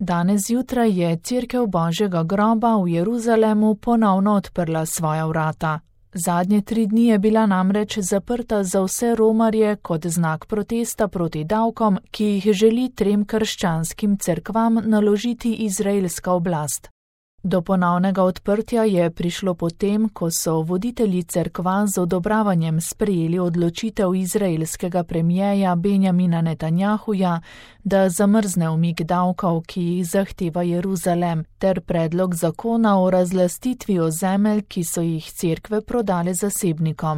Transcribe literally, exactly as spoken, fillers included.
Danes zjutraj je Cerkev Božjega groba v Jeruzalemu ponovno odprla svoja vrata. Zadnje tri dni je bila namreč zaprta za vse romarje kot znak protesta proti davkom, ki jih želi trem krščanskim cerkvam naložiti izraelska oblast. Do ponovnega odprtja je prišlo potem, ko so voditelji cerkva z odobravanjem sprejeli odločitev izraelskega premijeja Benjamina Netanjahuja, da zamrzne umik davkov, ki jih zahteva Jeruzalem, ter predlog zakona o razlastitvi ozemelj, ki so jih cerkve prodale zasebnikom.